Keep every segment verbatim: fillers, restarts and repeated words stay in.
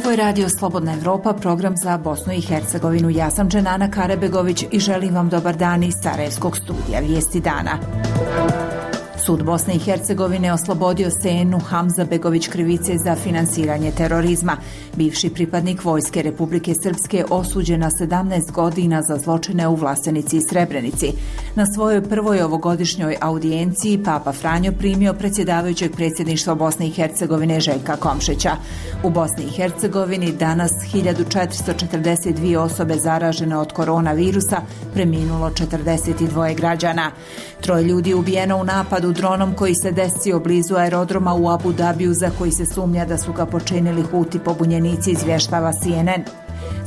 Ovo je Radio Slobodna Evropa, program za Bosnu i Hercegovinu. Ja sam Dženana Karebegović i želim vam dobar dan iz Sarajevskog studija Vijesti dana. Sud Bosne i Hercegovine oslobodio Senu Hamzabegović krivice za finansiranje terorizma. Bivši pripadnik Vojske Republike Srpske osuđen na sedamnaest godina za zločine u Vlasenici i Srebrenici. Na svojoj prvoj ovogodišnjoj audijenciji Papa Franjo primio predsjedavajućeg predsjedništva Bosne i Hercegovine Željka Komšića. U Bosni i Hercegovini danas hiljadu četiristo četrdeset dvije osobe zaražene od koronavirusa, preminulo četrdeset dva građana. Troje ljudi ubijeno u napadu dronom koji se desio blizu aerodroma u Abu Dabiju, za koji se sumnja da su ga počinili Huti pobunjenici, izvještava C N N.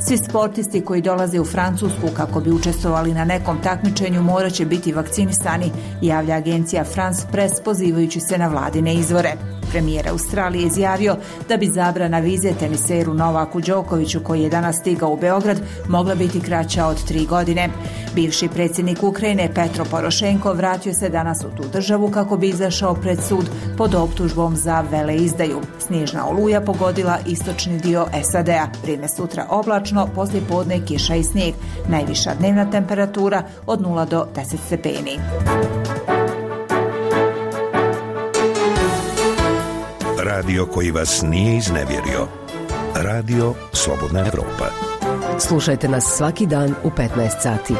Svi sportisti koji dolaze u Francusku kako bi učestvovali na nekom takmičenju morat će biti vakcinisani, javlja agencija France Press pozivajući se na vladine izvore. Premijer Australije izjavio da bi zabrana vize teniseru Novaku Đokoviću, koji je danas stigao u Beograd, mogla biti kraća od tri godine. Bivši predsjednik Ukrajine Petro Porošenko vratio se danas u tu državu kako bi izašao pred sud pod optužbom za veleizdaju. Snježna oluja pogodila istočni dio S A D-a. Vrijeme sutra oblačno, poslije podne kiša i snijeg. Najviša dnevna temperatura od nula do deset stepeni. Radio koji vas nije iznevjerio. Radio Slobodna Evropa. Slušajte nas svaki dan u petnaest sati.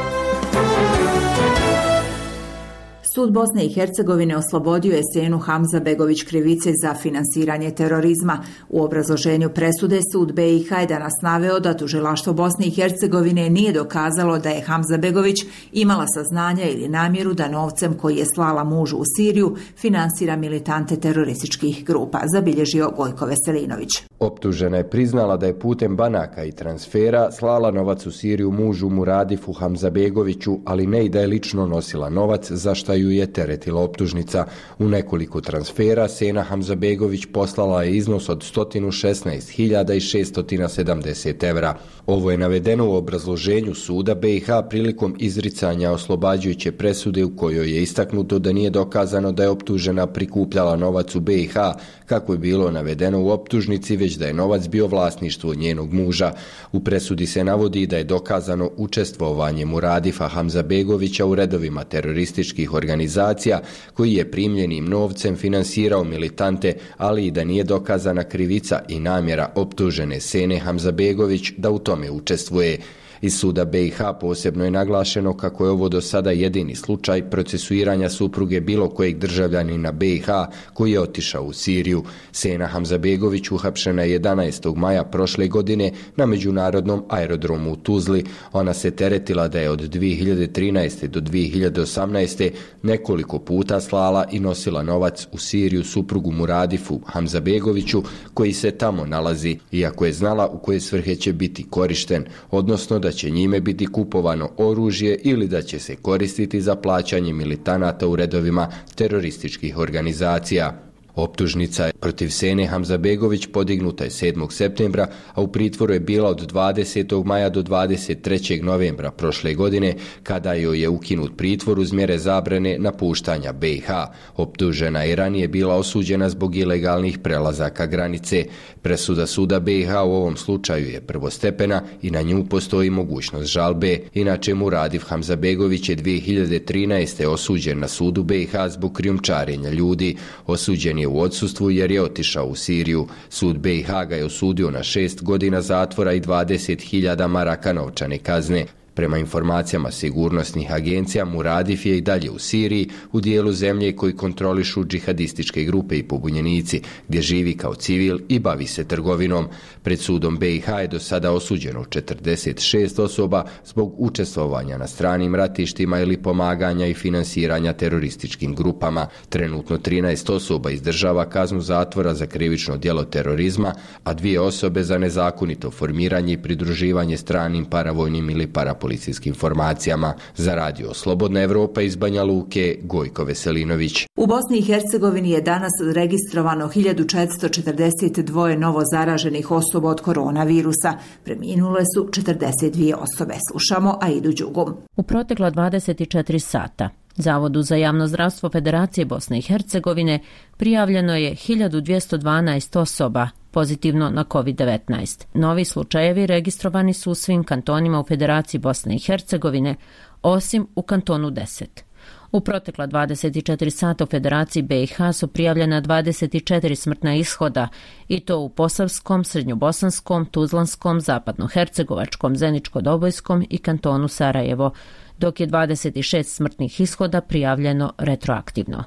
Sud Bosne i Hercegovine oslobodio je Senu Hamzabegović krivice za finansiranje terorizma. U obrazloženju presude sud B i H je danas naveo da tužilaštvo Bosne i Hercegovine nije dokazalo da je Hamzabegović imala saznanja ili namjeru da novcem koji je slala mužu u Siriju finansira militante terorističkih grupa, zabilježio Gojko Veselinović. Optužena je priznala da je putem banaka i transfera slala novac u Siriju mužu Muradifu Hamzabegoviću, ali ne i da je lično nosila novac, za šta ju je teretila optužnica. U nekoliko transfera Sena Hamzabegović poslala je iznos od sto šesnaest hiljada šesto sedamdeset evra. Ovo je navedeno u obrazloženju suda B i H prilikom izricanja oslobađajuće presude, u kojoj je istaknuto da nije dokazano da je optužena prikupljala novac u B i H, kako je bilo navedeno u optužnici, već da je novac bio vlasništvo njenog muža. U presudi se navodi da je dokazano učestvovanje Muradifa Hamzabegovića u redovima terorističkih organizacija, koji je primljenim novcem finansirao militante, ali i da nije dokazana krivica i namjera optužene Sene Hamzabegović da u tome učestvuje. Iz suda B i H posebno je naglašeno kako je ovo do sada jedini slučaj procesuiranja supruge bilo kojeg državljanina B i H koji je otišao u Siriju. Sena Hamzabegović uhapšena je jedanaestog maja prošle godine na međunarodnom aerodromu u Tuzli. Ona se teretila da je od dvije hiljade trinaeste do dvije hiljade osamnaeste nekoliko puta slala i nosila novac u Siriju suprugu Muradifu Hamzabegoviću, koji se tamo nalazi, iako je znala u koje svrhe će biti korišten, odnosno da će njime biti kupovano oružje ili da će se koristiti za plaćanje militanata u redovima terorističkih organizacija. Optužnica protiv Sene Hamzabegović podignuta je sedmog septembra, a u pritvoru je bila od dvadesetog maja do dvadeset trećeg novembra prošle godine, kada joj je ukinut pritvor uz mjere zabrane napuštanja B i H. Optužena je ranije bila osuđena zbog ilegalnih prelazaka granice. Presuda suda B i H u ovom slučaju je prvostepena i na nju postoji mogućnost žalbe. Inače, Muradif Hamzabegović je dvije hiljade trinaeste osuđen na sudu B i H zbog krijumčarenja ljudi. Osuđen je u odsustvu jer je otišao u Siriju. Sud B i H ga je osudio na šest godina zatvora i dvadeset hiljada maraka novčane kazne. Prema informacijama sigurnosnih agencija, Muradif je i dalje u Siriji, u dijelu zemlje koji kontrolišu džihadističke grupe i pobunjenici, gdje živi kao civil i bavi se trgovinom. Pred sudom B i H je do sada osuđeno četrdeset šest osoba zbog učestvovanja na stranim ratištima ili pomaganja i finansiranja terorističkim grupama. Trenutno trinaest osoba izdržava kaznu zatvora za krivično djelo terorizma, a dvije osobe za nezakonito formiranje i pridruživanje stranim paravojnim ili parapolicijskim formacijama. Za Radio Slobodna Evropa iz Banja Luke, Gojko Veselinović. U Bosni i Hercegovini je danas registrovano hiljadu četiristo četrdeset dva novo zaraženih osoba od koronavirusa. Preminule su četrdeset dvije osobe. Slušamo Aidu Đugum. U protekla dvadeset četiri sata Zavodu za javno zdravstvo Federacije Bosne i Hercegovine prijavljeno je hiljadu dvjesto dvanaest osoba pozitivno na kovid devetnaest. Novi slučajevi registrovani su u svim kantonima u Federaciji Bosne i Hercegovine, osim u kantonu deset. U protekla dvadeset četiri sata u Federaciji B i H su prijavljena dvadeset četiri smrtna ishoda, i to u Posavskom, Srednjobosanskom, Tuzlanskom, Zapadnohercegovačkom, Zeničko-Dobojskom i kantonu Sarajevo, dok je dvadeset šest smrtnih ishoda prijavljeno retroaktivno.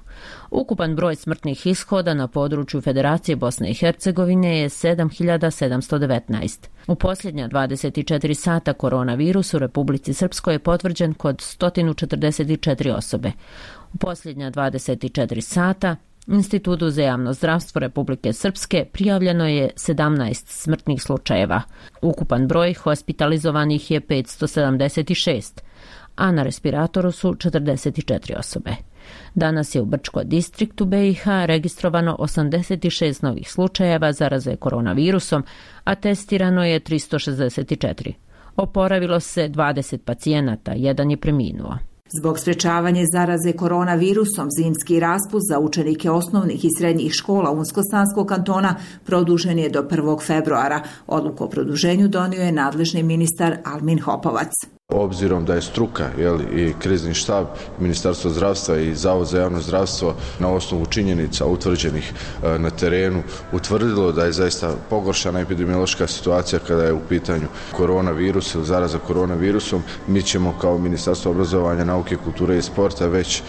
Ukupan broj smrtnih ishoda na području Federacije Bosne i Hercegovine je sedam hiljada sedamsto devetnaest. U posljednja dvadeset četiri sata koronavirus u Republici Srpskoj je potvrđen kod sto četrdeset četiri osobe. U posljednja dvadeset četiri sata Institutu za javno zdravstvo Republike Srpske prijavljeno je sedamnaest smrtnih slučajeva. Ukupan broj hospitalizovanih je petsto sedamdeset šest, a na respiratoru su četrdeset četiri osobe. Danas je u Brčko distriktu B i H registrovano osamdeset šest novih slučajeva zaraze koronavirusom, a testirano je tristo šezdeset četiri. Oporavilo se dvadeset pacijenata, jedan je preminuo. Zbog sprečavanja zaraze koronavirusom, zimski raspust za učenike osnovnih i srednjih škola Unsko-Sanskog kantona produžen je do prvog februara. Odluku o produženju donio je nadležni ministar Almin Hopovac. Obzirom da je struka, jel, i krizni štab, Ministarstvo zdravstva i Zavod za javno zdravstvo na osnovu činjenica utvrđenih e, na terenu utvrdilo da je zaista pogoršana epidemiološka situacija kada je u pitanju koronavirus ili zaraza koronavirusom, mi ćemo kao Ministarstvo obrazovanja, nauke, kulture i sporta već e,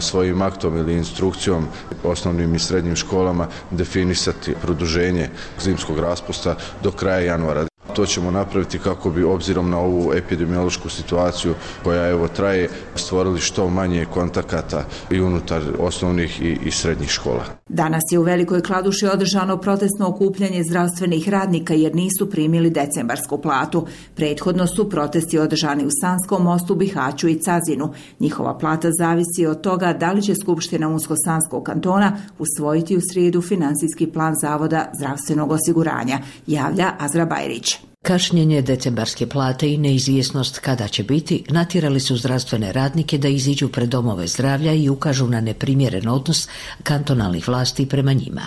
svojim aktom ili instrukcijom osnovnim i srednjim školama definisati produženje zimskog raspusta do kraja januara. To ćemo napraviti kako bi, obzirom na ovu epidemiološku situaciju koja evo traje, stvorili što manje kontakata i unutar osnovnih i, i srednjih škola. Danas je u Velikoj Kladuši održano protestno okupljanje zdravstvenih radnika jer nisu primili decembarsku platu. Prethodno su protesti održani u Sanskom Mostu, Bihaću i Cazinu. Njihova plata zavisi od toga da li će Skupština Unsko-Sanskog kantona usvojiti u srijedu finansijski plan Zavoda zdravstvenog osiguranja, javlja Azra Bajrić. Kašnjenje decembarske plate i neizvjesnost kada će biti natjerali su zdravstvene radnike da iziđu pred domove zdravlja i ukažu na neprimjeren odnos kantonalnih vlasti prema njima.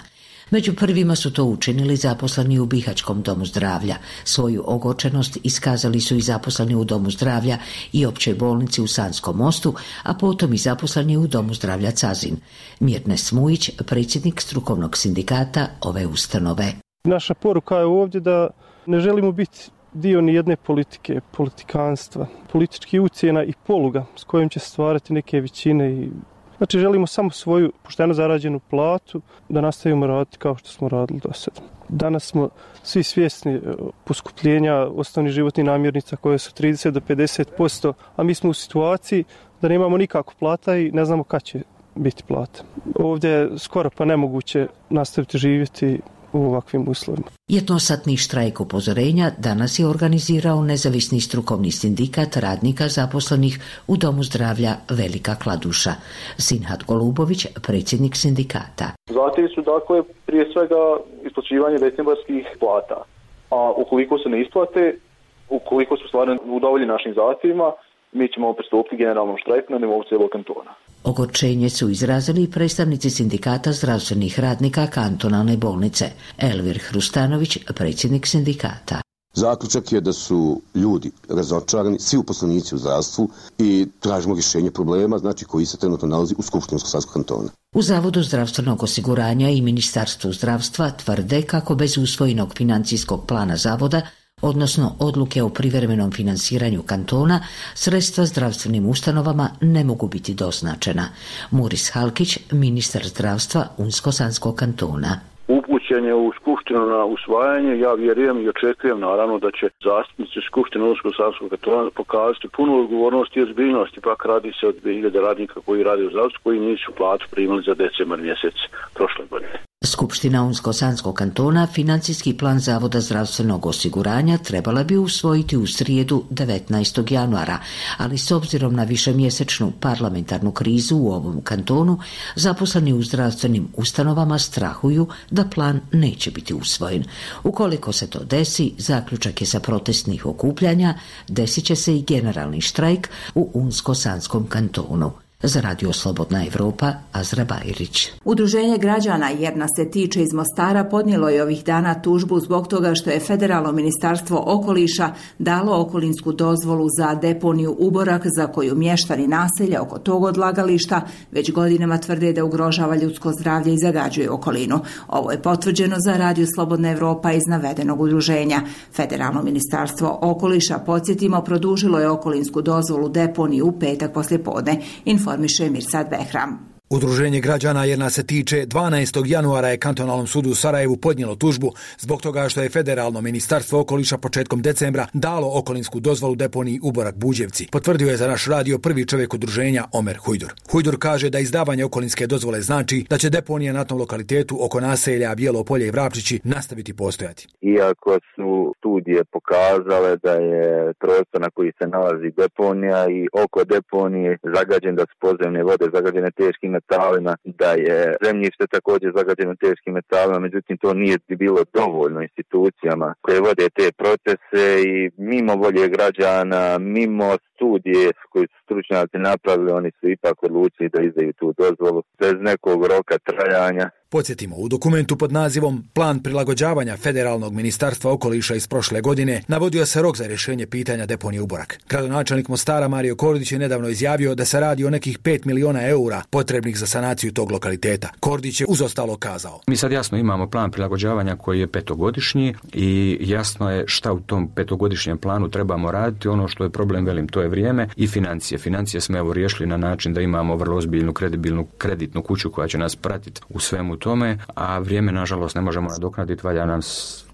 Među prvima su to učinili zaposleni u Bihaćkom domu zdravlja. Svoju ogorčenost iskazali su i zaposleni u domu zdravlja i općoj bolnici u Sanskom Mostu, a potom i zaposleni u domu zdravlja Cazin. Mirne Smujić, predsjednik strukovnog sindikata ove ustanove. Naša poruka je ovdje da ne želimo biti dio ni jedne politike, politikanstva, političkih ucjena i poluga s kojim će stvarati neke većine. I... Znači želimo samo svoju pošteno zarađenu platu da nastavimo raditi kao što smo radili do sada. Danas smo svi svjesni poskupljenja osnovnih životnih namirnica koje su trideset do pedeset posto, a mi smo u situaciji da nemamo nikakvu plata i ne znamo kad će biti plata. Ovdje je skoro pa nemoguće nastaviti živjeti u ovakvim uslovima. Jednosatni štrajk upozorenja danas je organizirao nezavisni strukovni sindikat radnika zaposlenih u Domu zdravlja Velika Kladuša. Sinhat Golubović, predsjednik sindikata. Zahtjevi su dakle prije svega isplaćivanje decembarskih plata, a ukoliko se ne isplate, ukoliko su stvarno udovoljeni našim zahtjevima, mi ćemo pristupiti generalnom štrajku na nivou cijelog kantona. Ogorčenje su izrazili i predstavnici sindikata zdravstvenih radnika kantonalne bolnice. Elvir Hrustanović, predsjednik sindikata. Zaključak je da su ljudi razočarani, svi uposlenici u zdravstvu, i tražimo rješenje problema, znači koji se trenutno nalazi u Skupštini Unsko-Sanskog kantona. U Zavodu zdravstvenog osiguranja i Ministarstvu zdravstva tvrde kako bez usvojenog financijskog plana zavoda, odnosno odluke o privremenom finansiranju kantona, sredstva zdravstvenim ustanovama ne mogu biti doznačena. Muris Halkić, ministar zdravstva Unsko-Sanskog kantona. Upućen je u Skupštinu na usvajanje, ja vjerujem i očekujem naravno da će zastupnici Skupštine Unsko-Sanskog kantona pokazati punu odgovornost i ozbiljnost, ipak radi se od hiljade radnika koji rade u zdravstvu, koji nisu platu primili za decembar mjesec prošle godine. Skupština Unsko-Sanskog kantona financijski plan Zavoda zdravstvenog osiguranja trebala bi usvojiti u srijedu devetnaestog januara, ali s obzirom na višemjesečnu parlamentarnu krizu u ovom kantonu, zaposleni u zdravstvenim ustanovama strahuju da plan neće biti usvojen. Ukoliko se to desi, zaključak je sa protestnih okupljanja, desit će se i generalni štrajk u Unsko-Sanskom kantonu. Za Radio Slobodna Evropa, Azra Bajrić. Udruženje građana Jer nas se tiče iz Mostara podnijelo je ovih dana tužbu zbog toga što je Federalno ministarstvo okoliša dalo okolinsku dozvolu za deponiju Uborak za koju mještani naselja oko tog odlagališta već godinama tvrde da ugrožava ljudsko zdravlje i zagađuje okolinu. Ovo je potvrđeno za Radio Slobodna Evropa iz navedenog udruženja. Federalno ministarstvo okoliša, podsjetimo, produžilo je okolinsku dozvolu deponiju u petak poslijepodne, informiše Mirsad Behram. Udruženje građana Jer nas se tiče dvanaestog januara je Kantonalnom sudu u Sarajevu podnijelo tužbu zbog toga što je Federalno ministarstvo okoliša početkom decembra dalo okolinsku dozvolu deponiji Uborak Buđevci. Potvrdio je za naš radio prvi čovjek udruženja Omer Hujdur. Hujdur kaže da izdavanje okolinske dozvole znači da će deponija na tom lokalitetu oko naselja Bijelo Polje i Vrapčići nastaviti postojati. Iako su studije pokazale da je prostor na koji se nalazi deponija i oko deponije zagađen, da su podzemne vode zagađene teškim metalima, da je zemljište također zagađeno teškim metalima, međutim to nije bilo dovoljno institucijama koje vode te procese i mimo volje građana, mimo studije koje su stručnjaci napravili, oni su ipak odlučili da izdaju tu dozvolu bez nekog roka trajanja. Podsjetimo, u dokumentu pod nazivom Plan prilagođavanja Federalnog ministarstva okoliša iz prošle godine navodio se rok za rješenje pitanja deponije Uborak. Gradonačelnik Mostara Mario Kordić je nedavno izjavio da se radi o nekih pet miliona eura potrebnih za sanaciju tog lokaliteta. Kordić je uz ostalo kazao: Mi sad jasno imamo plan prilagođavanja koji je petogodišnji i jasno je šta u tom petogodišnjem planu trebamo raditi. Ono što je problem, velim, to je vrijeme i financije. Financije smo evo riješili na način da imamo vrlo ozbiljnu kredibilnu kreditnu kuću koja će nas pratiti u svemu tome, a vrijeme nažalost ne možemo nadoknaditi, valja nam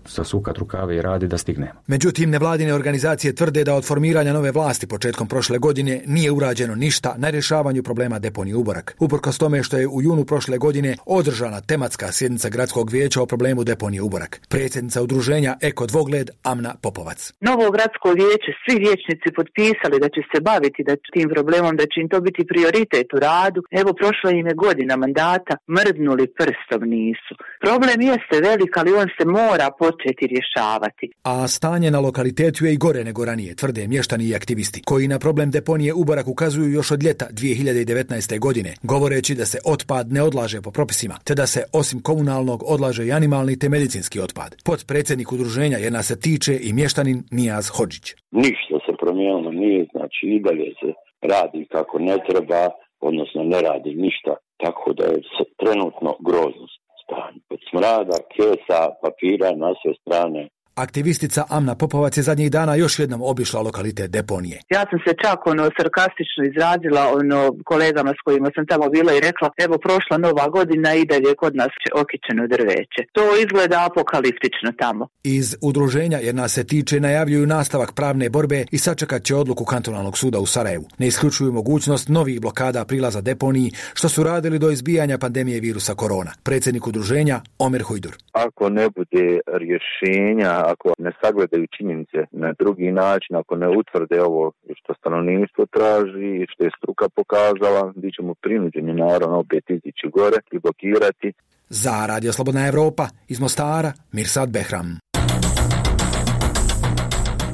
sasukat rukave i radi da stignemo. Međutim, nevladine organizacije tvrde da od formiranja nove vlasti početkom prošle godine nije urađeno ništa na rješavanju problema deponije Uborak. Uprkos tome što je u junu prošle godine održana tematska sjednica gradskog vijeća o problemu deponije Uborak. Predsjednica udruženja Eko Dvogled Amna Popovac. Novo gradsko vijeće, svi vijećnici potpisali da će se baviti da tim problemom, da će im to biti prioritet u radu. Evo, prošla im je godina mandata, mrdnuli prstom nisu. Problem jeste velik, ali on se mora početi rješavati. A stanje na lokalitetu je i gore nego ranije, tvrde mještani i aktivisti, koji na problem deponije Uborak ukazuju još od ljeta dvije hiljade devetnaeste. godine, govoreći da se otpad ne odlaže po propisima, te da se osim komunalnog odlaže i animalni te medicinski otpad. Potpredsjednik udruženja Jer nas se tiče i mještanin Nijaz Hodžić. Ništa se promijenilo nije, znači i dalje se radi kako ne treba, odnosno ne radi ništa, tako da je trenutno grozno stanje. Od smrada, kesa, papira na sve strane. Aktivistica Amna Popovac je zadnjih dana još jednom obišla lokalitet deponije. Ja sam se čak ono sarkastično izrazila ono kolegama s kojima sam tamo bila i rekla, evo prošla nova godina i dalje kod nas okićeno drveće. To izgleda apokaliptično tamo. Iz udruženja Jer nas se tiče najavljuju nastavak pravne borbe i sačekat će odluku Kantonalnog suda u Sarajevu. Ne isključuju mogućnost novih blokada prilaza deponiji, što su radili do izbijanja pandemije virusa korona. Predsjednik udruženja Omer Hujdur. Ako ne bude rješenja, ako ne sagledaju činjenice na drugi način, ako ne utvrde ovo što stanovništvo traži i što je struka pokazala, bit ćemo prinuđeni naravno opet izići gore i blokirati. Za Radio Slobodna Evropa iz Mostara, Mirsad Behram.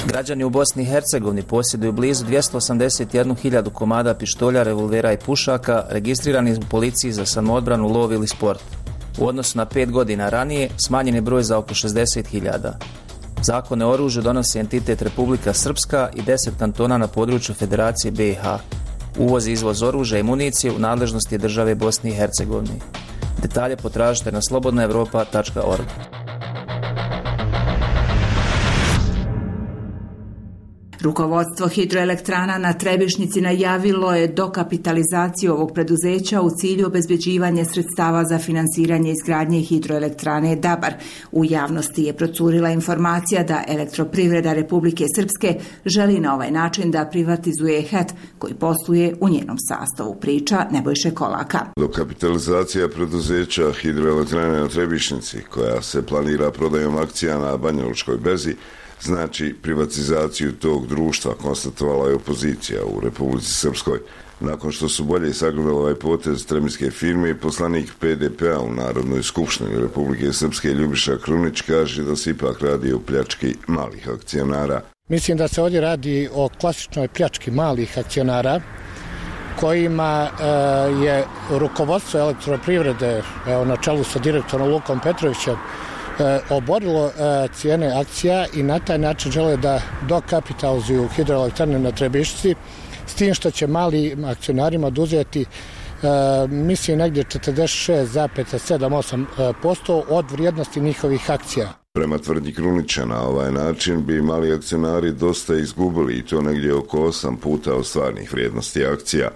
Građani u Bosni i Hercegovini posjeduju blizu dvjesto osamdeset jednu hiljadu komada pištolja, revolvera i pušaka registrirani u policiji za samoodbranu, lov ili sport. U odnosu na pet godina ranije smanjen je broj za oko šezdeset hiljada. Zakone o oružju donosi entitet Republika Srpska i deset kantona na području Federacije B i H. Uvoz i izvoz oružja i municije u nadležnosti je države Bosne i Hercegovine. Detalje potražite na slobodna evropa tačka org. Rukovodstvo hidroelektrana na Trebišnjici najavilo je dokapitalizaciju ovog preduzeća u cilju obezbeđivanja sredstava za finansiranje izgradnje hidroelektrane Dabar. U javnosti je procurila informacija da Elektroprivreda Republike Srpske želi na ovaj način da privatizuje H E T koji posluje u njenom sastavu, priča Nebojše Kolaka. Dokapitalizacija preduzeća hidroelektrane na Trebišnjici, koja se planira prodajom akcija na Banjalučkoj berzi, znači privatizaciju tog društva, konstatovala je opozicija u Republici Srpskoj. Nakon što su bolje sagledali ovaj potez trebinske firme, poslanik P D P-a u Narodnoj skupštini Republike Srpske Ljubiša Krunić kaže da se ipak radi o pljački malih akcionara. Mislim da se ovdje radi o klasičnoj pljački malih akcionara kojima je rukovodstvo elektroprivrede, evo, na čelu sa direktorom Lukom Petrovićem, oborilo cijene akcija i na taj način žele da dokapitalizuju hidroelektrane na Trebišci, s tim što će malim akcionarima oduzeti mislim negdje četrdeset šest zarez sedam osam posto od vrijednosti njihovih akcija. Prema tvrdnji Krunića, na ovaj način bi mali akcionari dosta izgubili i to negdje oko osam puta od stvarnih vrijednosti akcija.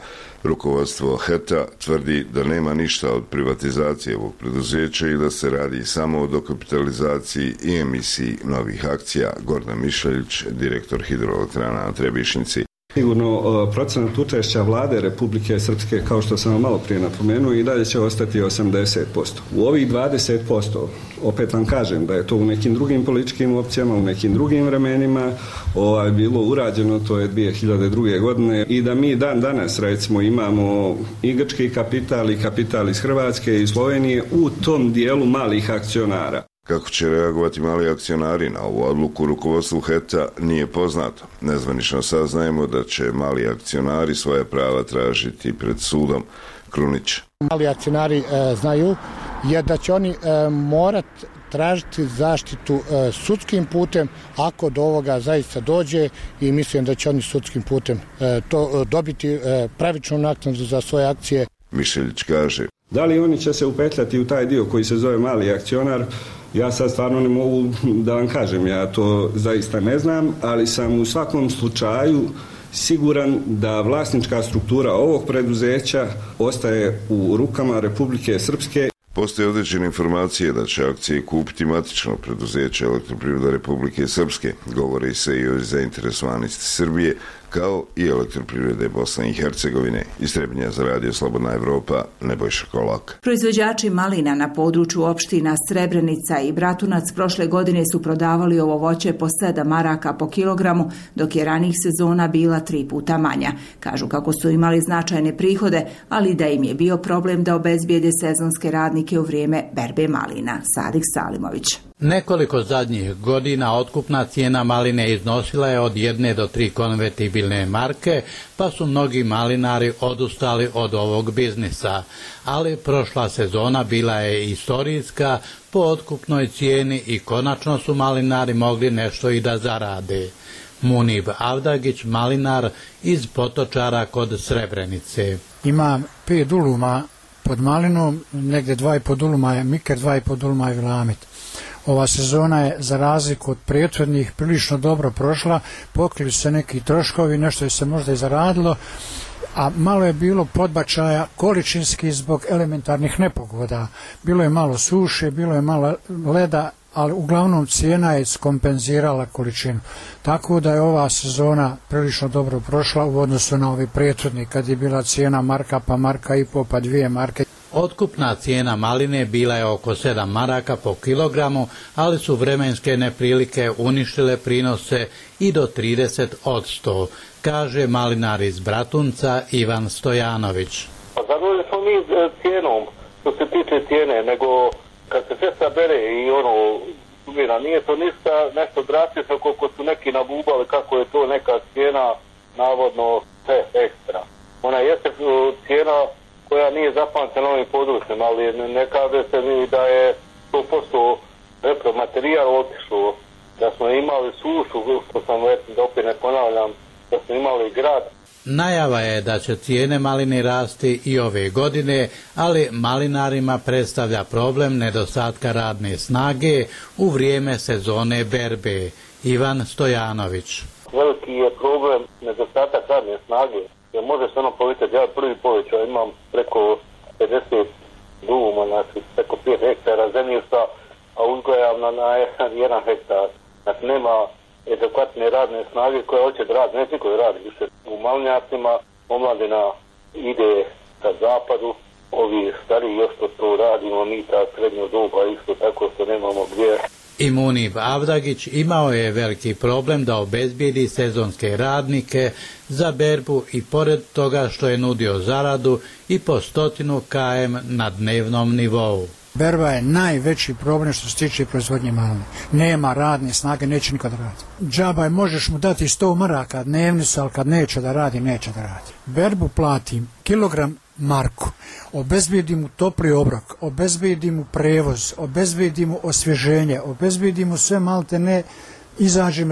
Rukovodstvo H E T-a tvrdi da nema ništa od privatizacije ovog preduzeća i da se radi samo o dokapitalizaciji i emisiji novih akcija. Gordan Mišeljić, direktor hidroelektrana na Trebišnici. Sigurno procenat učešća vlade Republike Srpske, kao što sam malo prije napomenuo, i dalje će ostati osamdeset posto. U ovih dvadeset posto, opet vam kažem da je to u nekim drugim političkim opcijama, u nekim drugim vremenima ovaj, bilo urađeno, to je dvije hiljade druge. godine, i da mi dan danas recimo imamo i grčki kapital i kapital iz Hrvatske i Slovenije u tom dijelu malih akcionara. Kako će reagovati mali akcionari na ovu odluku, rukovodstvu H E T-a nije poznato. Nezvanično saznajemo da će mali akcionari svoje prava tražiti pred sudom. Krunić. Mali akcionari e, znaju je da će oni e, morati tražiti zaštitu e, sudskim putem ako do ovoga zaista dođe, i mislim da će oni sudskim putem e, to dobiti e, pravičnu naknadu za svoje akcije. Mišeljić kaže. Da li oni će se upetljati u taj dio koji se zove mali akcionar? Ja sad stvarno ne mogu da vam kažem, ja to zaista ne znam, ali sam u svakom slučaju siguran da vlasnička struktura ovog preduzeća ostaje u rukama Republike Srpske. Postoje određene informacije da će akcije kupiti matično preduzeće Elektroprivreda Republike Srpske. Govori se i o zainteresovanosti Srbije, kao i Elektroprivrede Bosne i Hercegovine. Iz Trebinja za Radio Slobodna Evropa, Nebojša Kolak. Proizvođači malina na području opština Srebrenica i Bratunac prošle godine su prodavali ovo voće po sedam maraka po kilogramu, dok je ranijih sezona bila tri puta manja. Kažu kako su imali značajne prihode, ali da im je bio problem da obezbijede sezonske radnike u vrijeme berbe malina. Sadik Salimović. Nekoliko zadnjih godina otkupna cijena maline iznosila je od jedne do tri konvertibilne marke, pa su mnogi malinari odustali od ovog biznisa. Ali prošla sezona bila je istorijska po otkupnoj cijeni i konačno su malinari mogli nešto i da zarade. Munib Avdagić, malinar iz Potočara kod Srebrenice. Imam pet duluma pod malinom, negdje dva i po duluma je miker, dva i po duluma je vilamit. Ova sezona je za razliku od prethodnih prilično dobro prošla, pokrili su se neki troškovi, nešto je se možda i zaradilo, a malo je bilo podbačaja količinski zbog elementarnih nepogoda. Bilo je malo suše, bilo je malo leda, ali uglavnom cijena je skompenzirala količinu. Tako da je ova sezona prilično dobro prošla u odnosu na ovi prethodni, kad je bila cijena marka pa marka i po pa dvije marke. Otkupna cijena maline bila je oko sedam maraka po kilogramu, ali su vremenske neprilike uništile prinose i do trideset odsto, kaže malinar iz Bratunca Ivan Stojanović. Zadovoljni smo mi cijenom, što se tiče cijene, nego kad se sve sabere i ono, sumira, nije to ništa nešto drastično koliko su neki nabubali kako je to neka cijena navodno sve ekstra. Ona jeste cijena koja nije zapamtena ovim područjem, ali ne kaže se mi da je sto posto repromaterijal otišlo, da smo imali sušu, što sam da opet ne ponavljam, da smo imali grad. Najava je da će cijene malini rasti i ove godine, ali malinarima predstavlja problem nedostatka radne snage u vrijeme sezone berbe. Ivan Stojanović. Veliki je problem nedostatak radne snage. Jer može se ono povećati, ja prvi povećao imam preko pedeset duma, znači preko pet hektara zemljišta, a uzgojam na, na jedan hektar. Znači nema adekvatne radne snage koja hoće da radi, neće koji radi više u malinjacima, omladina ide ka zapadu, ovi stariji još što to radimo, mi ta srednja doba isto tako što nemamo gdje. I Munib Avdagić imao je veliki problem da obezbijedi sezonske radnike za berbu i pored toga što je nudio zaradu i po stotinu kilometara na dnevnom nivou. Berba je najveći problem što se tiče proizvodnje maline. Nema radne snage, neće nikad raditi. Džabaj možeš mu dati sto maraka dnevnicu, ali kad neće da radi, neće da radi. Berbu platim kilogram marku, obezbedi mu topli obrok, obezbedi mu prevoz, obezbedi mu osvježenje, obezbedi mu sve malte ne, izađe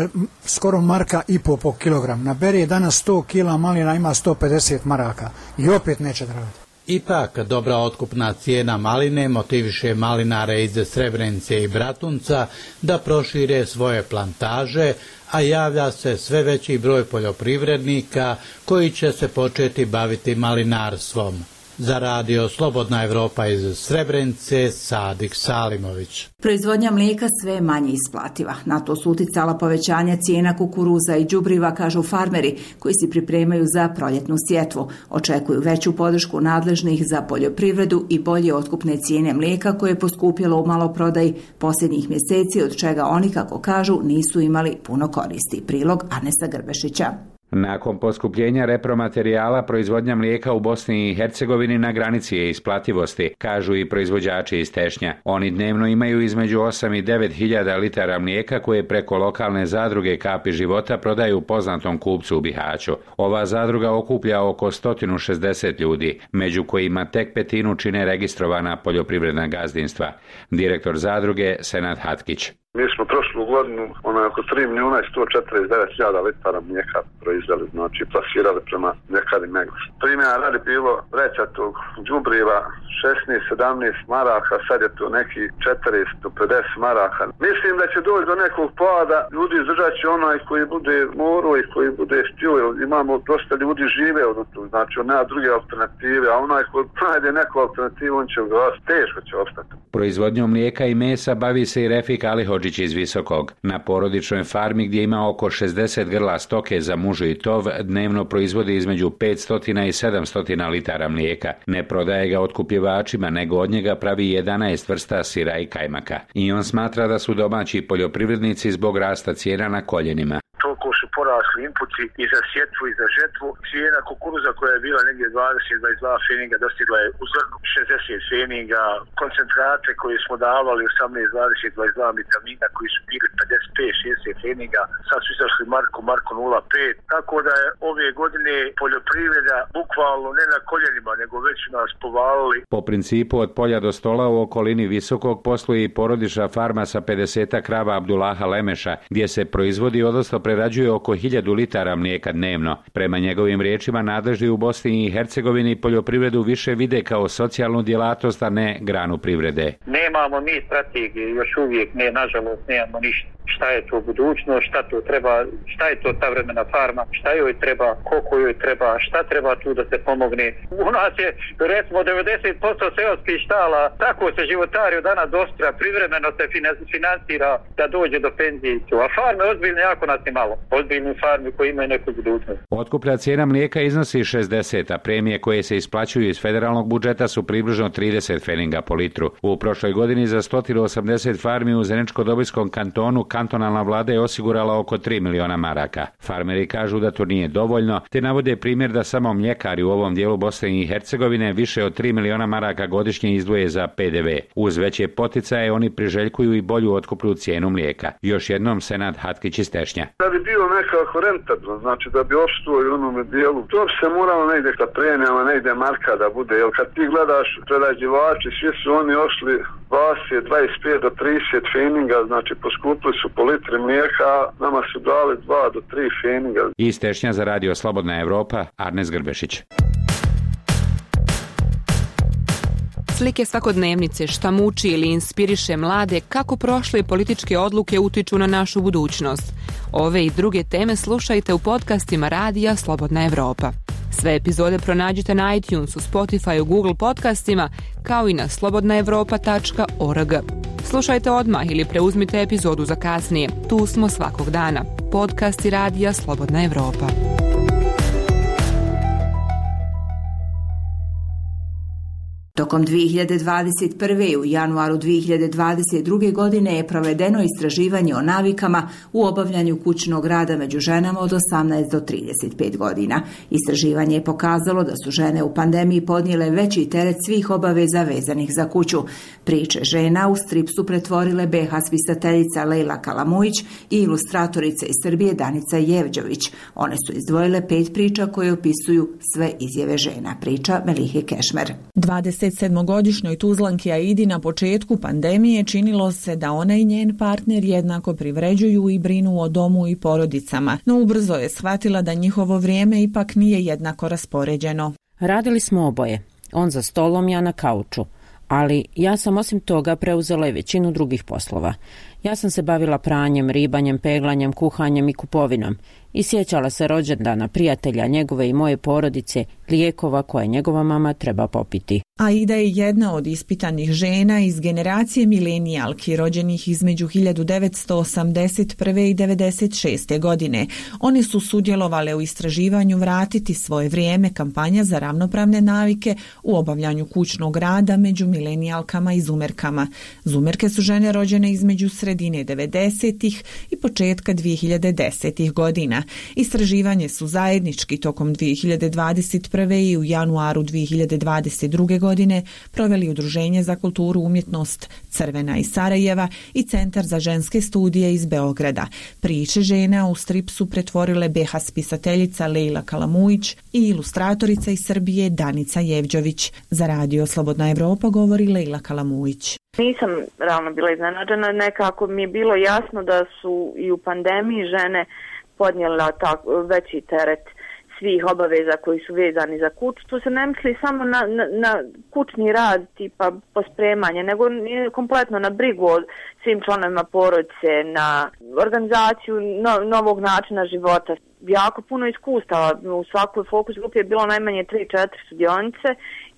skoro marka i po po kilogram. Na beri je danas sto kila malina, ima sto pedeset maraka i opet neće da radi. Ipak, dobra otkupna cijena maline motiviše malinare iz Srebrenice i Bratunca da prošire svoje plantaže, a javlja se sve veći broj poljoprivrednika koji će se početi baviti malinarstvom. Za radio Slobodna Evropa iz Srebrenice, Sadik Salimović. Proizvodnja mlijeka sve je manje isplativa. Na to su uticala povećanja cijena kukuruza i đubriva, kažu farmeri koji se pripremaju za proljetnu sjetvu. Očekuju veću podršku nadležnih za poljoprivredu i bolje otkupne cijene mlijeka koje je poskupjelo u maloprodaji posljednjih mjeseci, od čega oni, kako kažu, nisu imali puno koristi. Prilog Arnesa Grbešića. Nakon poskupljenja repromaterijala, proizvodnja mlijeka u Bosni i Hercegovini na granici je isplativosti, kažu i proizvođači iz Tešnja. Oni dnevno imaju između osam i devet hiljada litara mlijeka koje preko lokalne zadruge Kapi života prodaju poznatom kupcu u Bihaću. Ova zadruga okuplja oko sto šezdeset ljudi, među kojima tek petinu čine registrovana poljoprivredna gazdinstva. Direktor zadruge Senad Hatkić. Mi smo prošlu godinu onaj oko tri milijuna i sto četrdeset devet hiljada litara mlijeka proizveli, znači plasirali prema mljekari Megos. Primjera radi bilo vrećatog đubriva šesnaest sedamnaest maraka, sad je to neki četiristo pedeset maraka. Mislim da će doći do nekog pada, ljudi izdržat će onaj koji bude morao i koji bude htio, imamo dosta ljudi žive od tu, znači on nema druge alternative, a onaj koji najde neku alternativu, on će ga teško će ostati. Proizvodnjom mlijeka i mesa bavi se i Refik Alihodžić iz Visokog. Na porodičnoj farmi gdje ima oko šezdeset grla stoke za mužu i tov, dnevno proizvodi između petsto i sedamsto litara mlijeka. Ne prodaje ga otkupljivačima, nego od njega pravi jedanaest vrsta sira i kajmaka. I on smatra da su domaći poljoprivrednici zbog rasta cijena na koljenima. Toliko su porasli inputi i za sjetvu i za žetvu. Cijena kukuruza koja je bila negdje dvadeset do dvadeset dva feninga dostigla je u zrnu šezdeset feninga. Koncentrate koje smo davali osamnaest, dvadeset, dvadeset dva vitamina koji su bili pedeset pet, šezdeset feninga, sad su izašli Marko, Marko nula pet. Tako da je ove godine poljoprivreda bukvalno ne na koljenima, nego već nas povalili. Po principu od polja do stola u okolini Visokog posluje i porodična farma sa pedeset krava Abdullaha Lemeša, gdje se proizvodi, odnosno prerađuje oko hiljadu litara mlijeka dnevno. Prema njegovim riječima, nadležni u Bosni i Hercegovini poljoprivredu više vide kao socijalnu djelatnost, a ne granu privrede. Nemamo mi strategije, još uvijek ne, nažalost nemamo ništa. Šta je to budućnost, šta to treba, šta je to ta vremena farma, šta joj treba, koliko joj treba, šta treba tu da se pomogne. U nas je recimo devedeset posto seoskih štala, tako se životari od dana do sutra, privremeno se financira da dođe do penzije. A farme ozbiljne jako nas je malo, ozbiljne farme koje imaju neku budućnost. Otkuplja cijena mlijeka iznosi šezdeset, a premije koje se isplaćuju iz federalnog budžeta su približno trideset feninga po litru. U prošloj godini za sto osamdeset farmi u Zeničko-Dobojskom kantonu kantonalna vlada je osigurala oko tri miliona maraka. Farmeri kažu da to nije dovoljno, te navode primjer da samo mljekari u ovom dijelu Bosne i Hercegovine više od tri miliona maraka godišnje izdvoje za P D V. Uz veće poticaje oni priželjkuju i bolju otkupnu cijenu mlijeka. Još jednom Senad Hatkić iz Tešnja. Da bi bio nekako rentabilno, znači da bi opstuo u onome dijelu, to bi se moralo negdje sa premijama, negdje marka da bude, jer kad ti gledaš prerađivači, svi su oni ošli dvadeset, dvadeset pet do trideset feninga, znači poskupili su po litri mlijeka, nama su dali dva do tri feninga. Iz Tešnja za radio Slobodna Evropa, Arnes Grbešić. Slike svakodnevnice, šta muči ili inspiriše mlade, kako prošle političke odluke utiču na našu budućnost. Ove i druge teme slušajte u podcastima radija Slobodna Evropa. Sve epizode pronađite na iTunesu, Spotifyu, Google podcastima, kao i na slobodna evropa tačka org. Slušajte odmah ili preuzmite epizodu za kasnije. Tu smo svakog dana. Podcasti radija Slobodna Evropa. Tokom dvije hiljade dvadeset prve. i u januaru dvije hiljade dvadeset druge. godine je provedeno istraživanje o navikama u obavljanju kućnog rada među ženama od osamnaest do trideset pet godina. Istraživanje je pokazalo da su žene u pandemiji podnijele veći teret svih obaveza vezanih za kuću. Priče žena u strip su pretvorile be ha spisateljica Lejla Kalamujić i ilustratorica iz Srbije Danica Jevđović. One su izdvojile pet priča koje opisuju sve izjave žena. Priča Melihe Kešmer. dvadeset sedmogodišnjoj Tuzlanki Aidi na početku pandemije činilo se da ona i njen partner jednako privređuju i brinu o domu i porodicama, no ubrzo je shvatila da njihovo vrijeme ipak nije jednako raspoređeno. Radili smo oboje, on za stolom, ja na kauču, ali ja sam osim toga preuzela i većinu drugih poslova. Ja sam se bavila pranjem, ribanjem, peglanjem, kuhanjem i kupovinom i sjećala se rođendana prijatelja njegove i moje porodice, lijekova koje njegova mama treba popiti. Aida je jedna od ispitanih žena iz generacije milenijalki rođenih između hiljadu devetsto osamdeset prve. i devedeset šeste. godine. One su sudjelovale u istraživanju Vratiti svoje vrijeme, kampanja za ravnopravne navike u obavljanju kućnog rada među milenijalkama i zumerkama. Zumerke su žene rođene između sredine devedesetih i početka dvije hiljade desetih. godina. Istraživanje su zajednički tokom dvije hiljade dvadeset prve. i u januaru dvije hiljade dvadeset druge. godine proveli Udruženje za kulturu umjetnost Crvena iz Sarajeva i Centar za ženske studije iz Beograda. Priče žena u strip su pretvorile be ha spisateljica Lejla Kalamujić i ilustratorica iz Srbije Danica Jevđović. Za Radio Slobodna Evropa govori Lejla Kalamujić. Nisam realno bila iznenađena, nekako mi je bilo jasno da su i u pandemiji žene podnijela tak, veći teret svih obaveza koji su vezani za kuću. Tu se ne misli samo na, na, na kućni rad tipa pospremanje, nego kompletno na brigu o svim članovima porodice, na organizaciju no, novog načina života. Jako puno iskustava. U svakoj fokus grupi je bilo najmanje tri četiri sudionice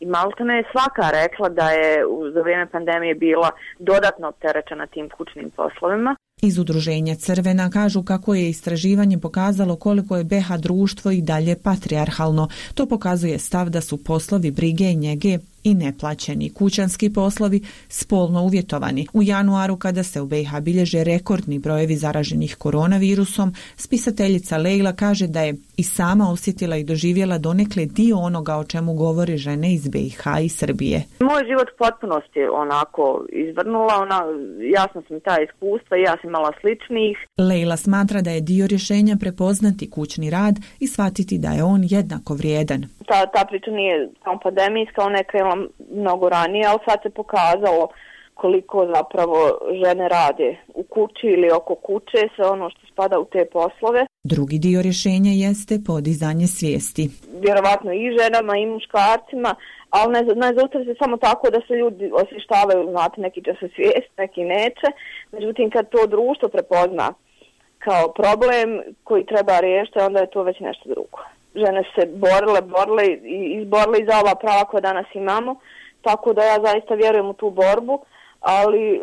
i maltene je svaka rekla da je za vrijeme pandemije bila dodatno opterećena tim kućnim poslovima. Iz Udruženja Crvena kažu kako je istraživanje pokazalo koliko je be ha društvo i dalje patrijarhalno. To pokazuje stav da su poslovi brige i njege i neplaćeni kućanski poslovi spolno uvjetovani. U januaru, kada se u be ha bilježe rekordni brojevi zaraženih koronavirusom, spisateljica Lejla kaže da je i sama osjetila i doživjela donekle dio onoga o čemu govore žene iz be ha i Srbije. Moj život potpunosti onako izvrnula, ona, jasno sam ta iskustva i ja sam imala sličnih. Lejla smatra da je dio rješenja prepoznati kućni rad i shvatiti da je on jednako vrijedan. Ta, ta priča nije samo pandemijska, ona je krenula mnogo ranije, ali sad se pokazalo koliko zapravo žene rade u kući ili oko kuće, sve ono što spada u te poslove. Drugi dio rješenja jeste podizanje svijesti. Vjerovatno i ženama i muškarcima, ali ne, ne zaustavi se samo tako da se ljudi osvještavaju, znate, neki će se svijest, neki neće. Međutim, kad to društvo prepozna kao problem koji treba riješiti, onda je to već nešto drugo. Žene se borile, borile i izborile i za ova prava koja danas imamo, tako da ja zaista vjerujem u tu borbu, ali e,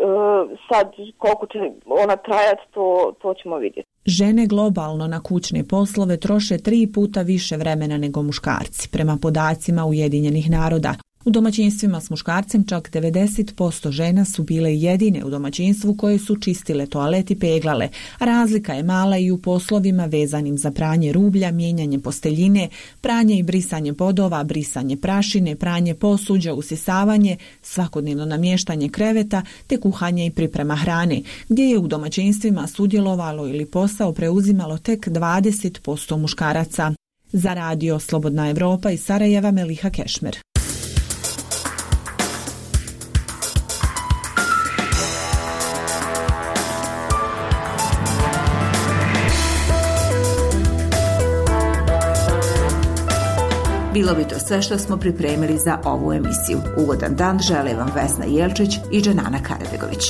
sad koliko će ona trajati, to, to ćemo vidjeti. Žene globalno na kućne poslove troše tri puta više vremena nego muškarci, prema podacima Ujedinjenih naroda. U domaćinstvima s muškarcem čak devedeset posto žena su bile jedine u domaćinstvu koje su čistile toalet i peglale, a razlika je mala i u poslovima vezanim za pranje rublja, mijenjanje posteljine, pranje i brisanje podova, brisanje prašine, pranje posuđa, usisavanje, svakodnevno namještanje kreveta te kuhanje i priprema hrane, gdje je u domaćinstvima sudjelovalo ili posao preuzimalo tek dvadeset posto muškaraca. Za Radio Slobodna Evropa iz Sarajeva, Meliha Kešmer. Bilo bi to sve što smo pripremili za ovu emisiju. Ugodan dan žele vam Vesna Jelčić i Dženana Karabegović.